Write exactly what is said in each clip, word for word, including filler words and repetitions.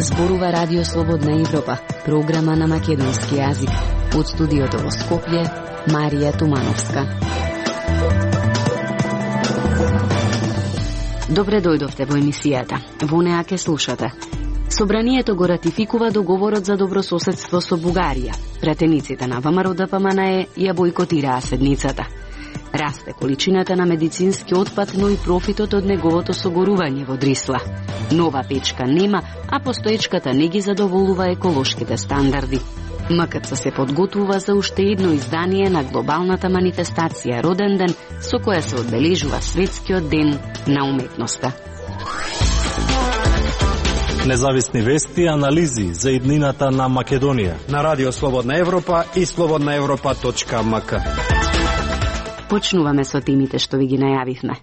Зборува Радио Слободна Европа, програма на македонски јазик. Од студиото во Скопје, Марија Тумановска. Добре дојдовте во емисијата. Во неа ке слушате. Собранието го ратификува договорот за добрососедство со Бугарија. Пратениците на ВМРО Д П М Н Е ја бойкотираа седницата. Расте количината на медицински отпад, но и профитот од неговото согорување во Дрисла. Нова печка нема, а постоечката не ги задоволува еколошките стандарди. М К Ц се подготвува за уште едно издание на глобалната манифестација Роден ден, со која се одбележува Светскиот ден на уметноста. Независни вести и анализи за иднината на Македонија на Радио Слободна Европа и слободна европа точка м к. Почнуваме со темите што ви ги најавивме.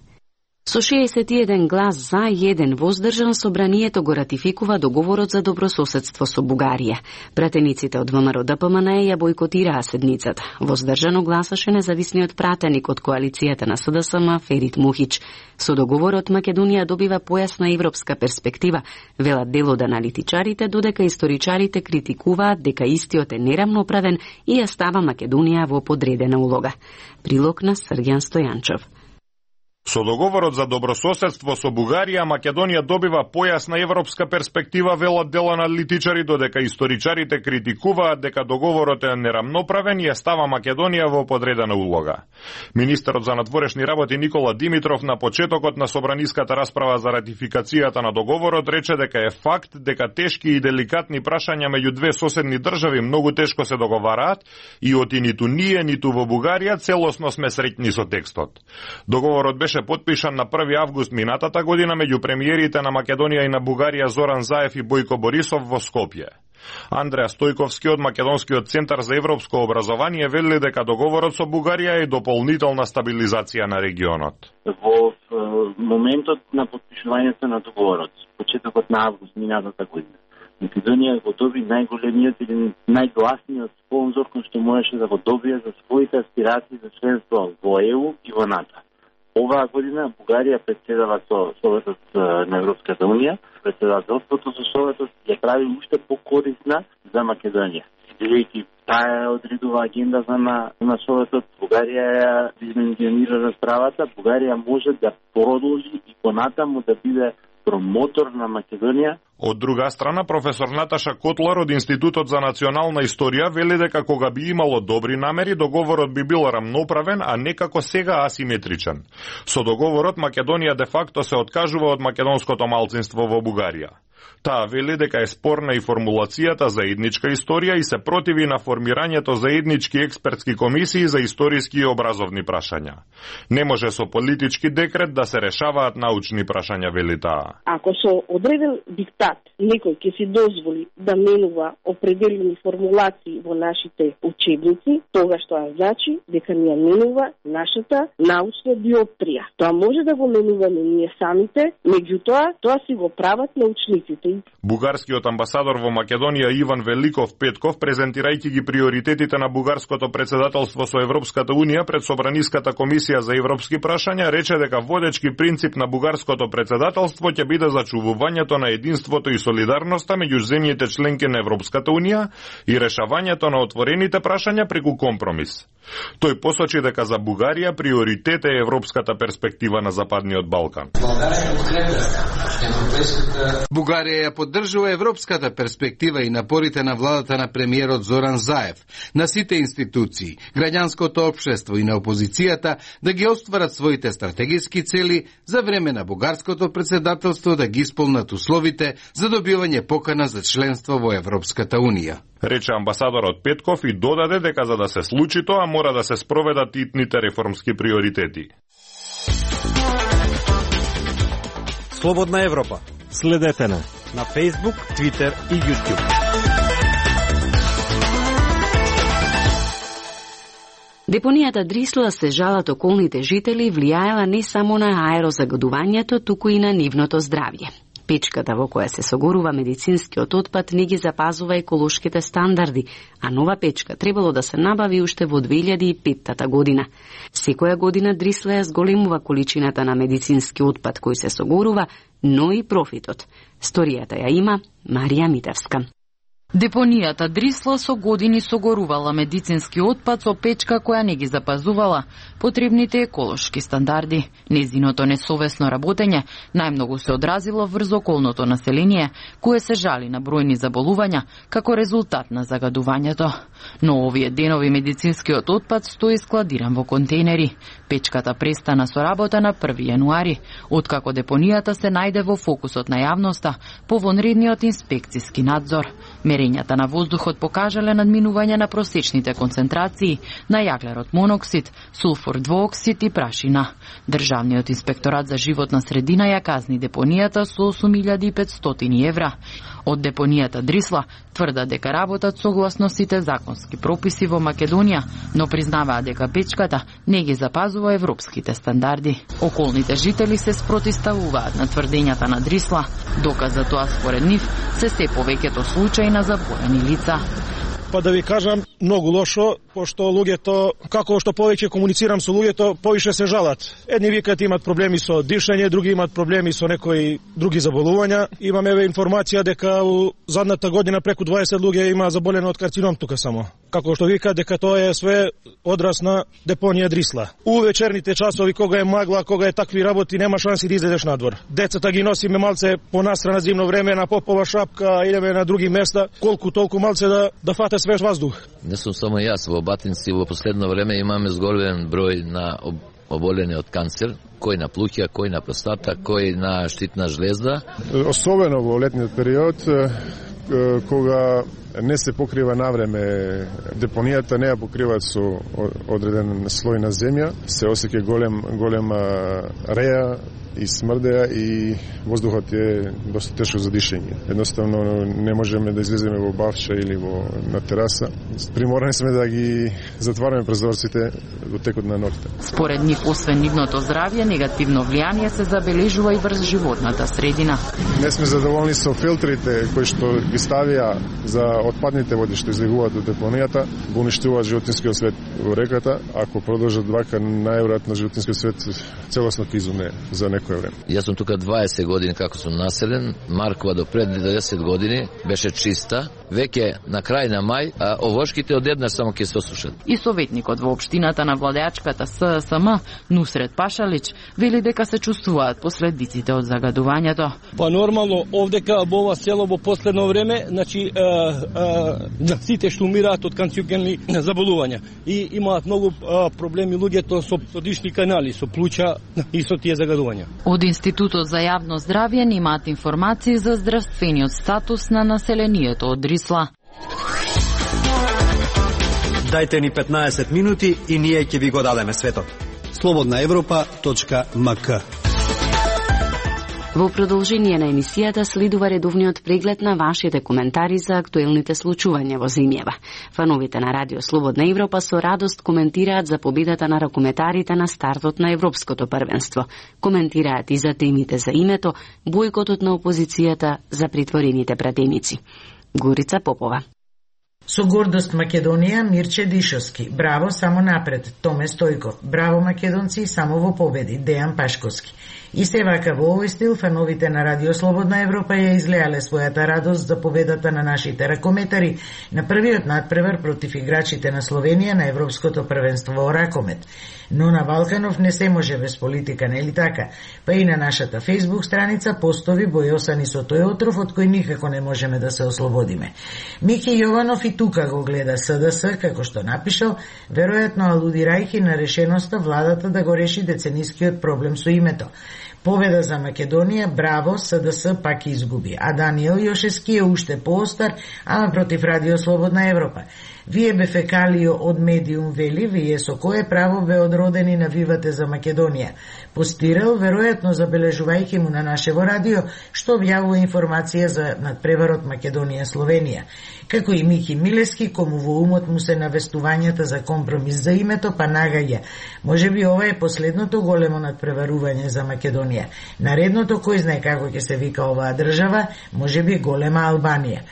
Со шеесет и еден глас за и еден воздржан, собранието го ратификува договорот за добрососедство со Бугарија. Пратениците од В М Р Д П М Н Е ја бойкотираа седницата. Воздржано гласаше независниот пратеник од коалицијата на С Д С М Ферит Мухич. Со договорот Македонија добива појасна европска перспектива, велат дел од аналитичарите, додека историчарите критикуваат дека истиот е нерамноправен и ја става Македонија во подредена улога. Прилог на Срѓан Стојанчов. Со договорот за добрососедство со Бугарија, Македонија добива појасна европска перспектива, велат дел аналитичари, додека историчарите критикуваат дека договорот е нерамноправен и ја става Македонија во подредена улога. Министерот за надворешни работи Никола Димитров на почетокот на собраниската расправа за ратификацијата на договорот рече дека е факт дека тешки и деликатни прашања меѓу две соседни држави многу тешко се договараат и оти ниту ние, ниту во Бугарија целосно сме среќни со текстот. Договорот беше подпишан на први август минатата година меѓу премиерите на Македонија и на Бугарија Зоран Заев и Бојко Борисов во Скопје. Андреа Стојковски од Македонскиот центар за европско образование вели дека договорот со Бугарија е дополнителна стабилизација на регионот. Во моментот на подпишувањето на договорот, почетокот на август минатата година, Македонија го доби најголемиот или најгласниот спонзор кој што можеше да го добие за своите аспирации за членство во Е У и во НАТО. Оваа година Бугарија председава со Советот на Европската Унија. Председателството со Советот ја прави уште покорисна за Македонија. Бидејќи таа одредува агенда за на, на Советот, Бугарија ја димензионира расправата, Бугарија може да продолжи и понатаму да биде промотор на Македонија. Од друга страна, професор Наташа Котлар од Институтот за национална историја вели дека кога би имало добри намери, договорот би бил рамноправен, а не како сега асиметричен. Со договорот Македонија де факто се откажува од македонското малцинство во Бугарија. Таа вели дека е спорна и формулацијата за етничка историја и се противи на формирањето за етнички експертски комисии за историски и образовни прашања. Не може со политички декрет да се решаваат научни прашања, вели таа. Ако со одреден диктат некој ќе си дозволи да менува определени формулации во нашите учебници, тогаш тоа значи дека ни ја менува нашата научна диоптрија. Тоа може да го менуваме ние самите, меѓутоа тоа си го прават научниците. Бугарскиот амбасадор во Македонија Иван Великов Петков, презентирајќи ги приоритетите на бугарското председателство со Европската Унија пред Собраниската комисија за европски прашања, рече дека водечки принцип на бугарското председателство ќе биде зачувувањето на единството и солидарноста меѓу земјите членки на Европската Унија и решавањето на отворените прашања преку компромис. Тој посочи дека за Бугарија приоритет е европската перспектива на Западниот Балкан. Бугарија ја поддржува европската перспектива и напорите на владата на премиерот Зоран Заев, на сите институции, граѓанското општество и на опозицијата да ги остварат своите стратегиски цели за време на бугарското председателство да ги исполнат условите за добивање покана за членство во Европската Унија. Рече амбасадорот Петков и додаде дека за да се случи тоа мора да се спроведат итните реформски приоритети. Слободна Европа. Следете на на Facebook, Twitter и YouTube. Депонијата Дрисла се жалат околните жители влијаела не само на аерозагадувањето, туку и на нивното здравје. Печката во која се согорува медицинскиот отпад не ги запазува еколошките стандарди, а нова печка требало да се набави уште во две илјади и петта година. Секоја година Дрисла ја зголемува количината на медицински отпад кој се согорува, но и профитот. Сторијата ја има Марија Митевска. Депонијата Дрисла со години согорувала медицински отпад со печка која не ги запазувала потребните еколошки стандарди. Незиното несовесно работење најмногу се одразило врз околното население, кое се жали на бројни заболувања како резултат на загадувањето. Но овие денови медицинскиот отпад стои складиран во контейнери. Печката престана со работа на први јануари, откако депонијата се најде во фокусот на јавноста по вонредниот инспекциски надзор. Мерењата на воздухот покажале надминување на просечните концентрации на јаглерод моноксид, сулфур двооксид и прашина. Државниот инспекторат за животна средина ја казни депонијата со осум илјади и петстотини евра. Од депонијата Дрисла тврдат дека работат согласно сите законски прописи во Македонија, но признаваат дека печката не ги запазува европските стандарди. Околните жители се спротивставуваат на тврдењата на Дрисла. Доказ за тоа според нив се се повеќето случаи на забојани лица. Па да ви кажам, многу лошо, пошто луѓето, како што повеќе комуницирам со луѓето, повише се жалат. Едни викат имат проблеми со дишење, други имат проблеми со некои други заболувања. Имаме информација дека у задната година преку дваесет луѓе има заболени од карцином тука само. Како што викат дека тоа е све одраз на депонија Дрисла. У вечерните часови кога е магла, кога е такви работи, нема шанси да излезеш надвор. Децата ги носиме малце понастрана зимно време на попова шапка, идеме на други места, колку толку малце да да фате свеж воздух. Не сум само јас, во Батинци во последно време имаме зголем број на оболени од канцер, кој на плуќа, кој на простата, кој на штитна жлезда. Особено во летниот период, кога не се покрива навреме депонијата, не ја покриваат со одреден слој на земја, се осеќа голем голема реја и смрдеа и воздухот е доста тешко за дишење. Едноставно не можеме да излеземе во бавча или во на тераса. Приморани сме да ги затвараме прозорците во текот на ноќта. Според нив, освен нивното здравје, негативно влијание се забележува и врз животната средина. Не сме задоволни со филтрите кои што ги ставија за отпадните води што излегуваат од депонијата, го уништуваат животинскиот свет во реката. Ако продолжат вака, најверојатно животинскиот свет целосно ќе изумре за некој време. Јас сум тука дваесет години како сум населен. Маркова до пред деветдесет години беше чиста. Веќе на крај на мај, а овошките одеднаш само ќе се осушат. И советникот во општината на владеачката С С М Нусрет Пашалич вели дека се чувствуваат последиците од загадувањето. Па нормално овдека во ова село во последно време, значи да сите што умираат од канцерогенни заболувања и имаат многу а, проблеми луѓето со, со дишни канали, со плуќа и со тие загадувања. Од Институтот за јавно здравје немаат информации за здравствениот статус на населението од Дрисла. Дајте ни петнаесет минути и ние ќе ви го дадеме светот. слободна европа точка м к. Во продолжение на емисијата следува редовниот преглед на вашите коментари за актуелните случувања во земјава. Фановите на Радио Слободна Европа со радост коментираат за победата на ракометарите на стартот на Европското првенство. Коментираат и за темите за името, бојкотот на опозицијата, за притворените пратеници. Горица Попова. Со гордост Македонија, Мирче Дишовски. Браво, само напред. Томе Стојков. Браво, македонци, само во победи. Дејан Пашковски. И се вака во овој стил, фановите на Радио Слободна Европа ја излеале својата радост за победата на нашите ракометари на првиот надпревар против играчите на Словенија на Европското првенство во ракомет. Но на Балканов не се може без политика, нели така? Па и на нашата Facebook страница постови бојосани со тој отров од кој никако не можеме да се ослободиме. Мики Јованов и тука го гледа С Д С, како што напишал, веројатно алудирајќи на решеноста владата да го реши деценискиот проблем со името. Победа за Македонија, браво, С Д С пак изгуби. А Даниел Јошевски е уште поостар, ама против Радио Слободна Европа. Вие бе фекалио од медиум вели, вие со кое право бе одродени навивате за Македонија. Постирал, веројатно забележувајќи му на нашево радио, што објавува информација за надпреварот Македонија-Словенија. Како и Мики Милески, кому во умот му се навестувањата за компромис за името, па нагаѓа. Може би ова е последното големо надпреварување за Македонија. Месопотамија. Наредното кој знае како ќе се вика оваа држава, можеби голема Албанија.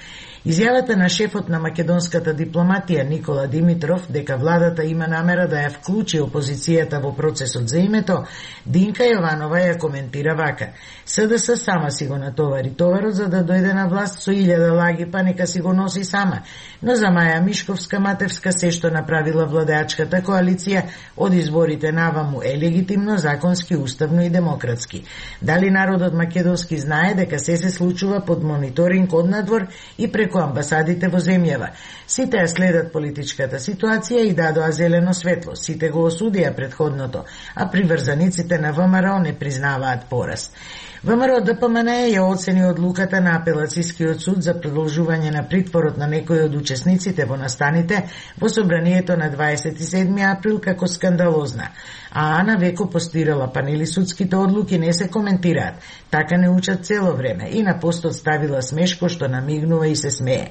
Изјавата на шефот на македонската дипломатија Никола Димитров дека владата има намера да ја вклучи опозицијата во процесот за името, Динка Јованова ја коментира вака: СДС сама си го натовари товарот за да дојде на власт со илјада лаги, па нека си го носи сама. Но за Маја Мишковска Матевска се што направила владеачката коалиција од изборите наваму е легитимно, законски, уставно и демократски. Дали народот македонски знае дека се се случува под мониторинг однадвор и преку амбасадите во земјава? Сите ја следат политичката ситуација и дадоа зелено светло. Сите го осудија предходното, а приврзаниците на ВМРО не признаваат пораз. ВМРО Д П М Н Е ја оцени одлуката на апелацискиот суд за продолжување на притворот на некои од учесниците во настаните во собранието на дваесет и седми април како скандалозна. А Ана Веко постирала панели судските одлуки не се коментираат, така не учат цело време и на постот ставила смешко што намигнува и се смее.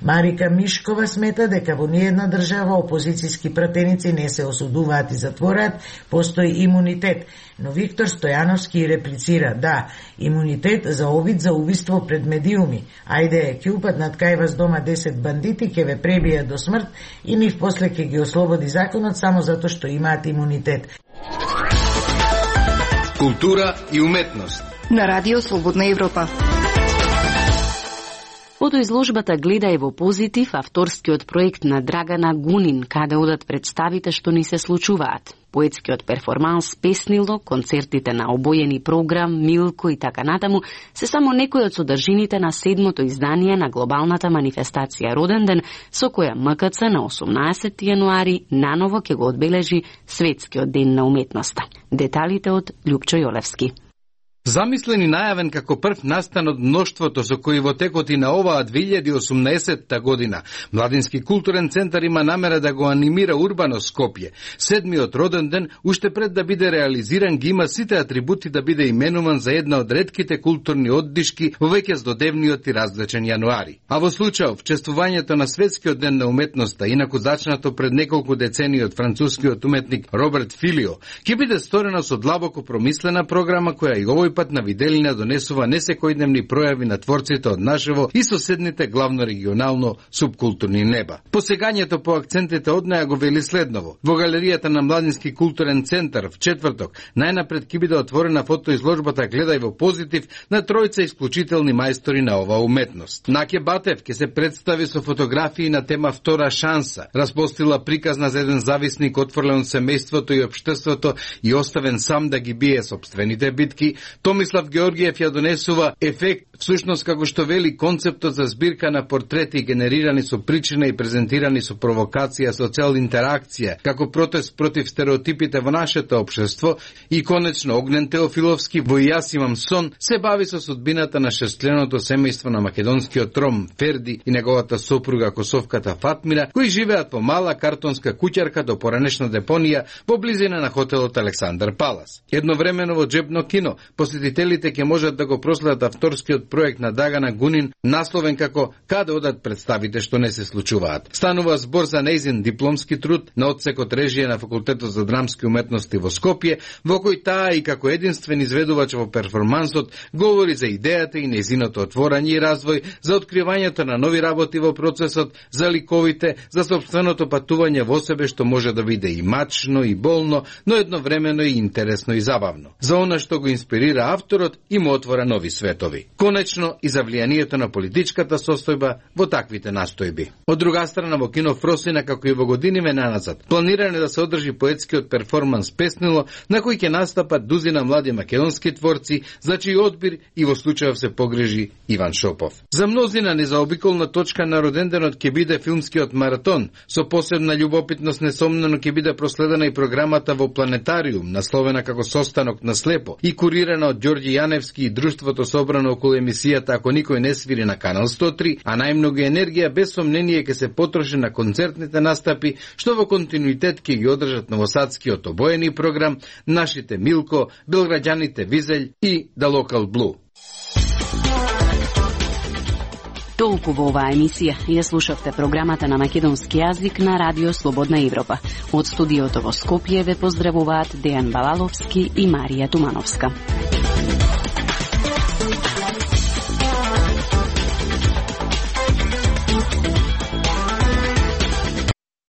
Марика Мишкова смета дека во ниедна држава опозицијски пратеници не се осудуваат и затвораат, постои имунитет. Но Виктор Стојановски реплицира: да, имунитет за обид за убиство пред медиуми. Ајде, ќе упаднат кај вас дома десет бандити, ќе ве пребијат до смрт и нив после ќе ги ослободи законот само затоа што имаат имунитет. Култура и уметност на Радио Слободна Европа. Фотоизложбата Гледај во позитив, авторскиот проект на Драгана Гунин, каде одат представите што ни се случуваат. Поетскиот перформанс Песнило, концертите на обојени програм, Милко и така натаму, се само некои од содржините на седмото издание на глобалната манифестација Роден ден, со која М К Ц на осумнаесети јануари наново ќе го одбележи Светскиот ден на уметноста. Деталите од Љупчо Јолевски. Замислен и најавен како прв настан од мноштвото со кои во текот и на оваа две илјади и осумнаесетта година Младински културен центар има намера да го анимира урбано Скопје. Седмиот роден ден, уште пред да биде реализиран, ги има сите атрибути да биде именуван за една од ретките културни оддишки во веќе здодевниот и различен јануари. А во случајов, чествувањето на Светскиот ден на уметноста, инаку зачнато пред неколку децении од францускиот уметник Роберт Филио, ќе биде сторено со длабоко промислена програма која и овој пат на виделина донесува несекојдневни пројави на творците од нашево и соседните главно регионално субкултурни неба. Посегањето по акцентите од неа го вели следново: во галеријата на Младински културен центар в четврток најнапред ќе биде отворена фотоизложбата Гледај во позитив на тројца исклучителни мајстори на оваа уметност. Наке Батев ќе се представи со фотографии на тема Втора шанса, распостила приказна за еден зависник отфрлен од семејството и општеството и оставен сам да ги бие сопствените битки. Томислав Георгиев ја донесува ефект, всушност како што вели концептот за збирка на портрети генерирани со причина и презентирани со провокација, со цел интеракција, како протест против стереотипите во нашето општество. И конечно Огнен Теофиловски во Јас имам сон се бави со судбината на шестчленото семејство на македонскиот Ром Ферди и неговата сопруга Косовката Фатмира, кои живеат во мала картонска куќарка до поранешна депонија во близина на хотелот Александар Палас. Едновремено во Джебно кино посетителите ќе можат да го проследат авторскиот проект на Драгана Гунин, насловен како Каде одат представите што не се случуваат. Станува збор за нејзин дипломски труд на одсекот режија на Факултетот за драмски уметности во Скопје, во кој таа и како единствен изведувач во перформансот говори за идејата и нејзиното отворање и развој, за откривањето на нови работи во процесот, за ликовите, за собственото патување во себе што може да биде и мачно и болно, но едновремено и интересно и забавно. За она што го инспирира авторот и му отвора нови светови. Конечно и за влијанието на политичката состојба во таквите настојби. Од друга страна, во кино Фросина, како и во годиниве наназад, планиране да се одржи поетскиот перформанс Песнило, на кој ќе настапат дузина млади македонски творци, за чиј одбир и во случајов се погрежи Иван Шопов. За мнозина незаобиколна точка на роденденот ќе биде филмскиот маратон, со посебна љубопитност несомнено ќе биде проследена и програмата во Планетариум, насловена како Состанок на слепо и курирана од Ѓорѓи Јаневски и друштвото собрано околу емисијата Ако никој не свири на Канал сто три, а најмногу енергија без сомнение ќе се потроши на концертните настапи, што во континуитет ќе ги одржат новосадскиот обоени програм, нашите Милко, белграѓаните Визелј и The Local Blue. Толку во оваа емисија ја слушавте програмата на македонски јазик на Радио Слободна Европа. Од студиото во Скопје ве поздравуваат Дејан Балаловски и Марија Тумановска.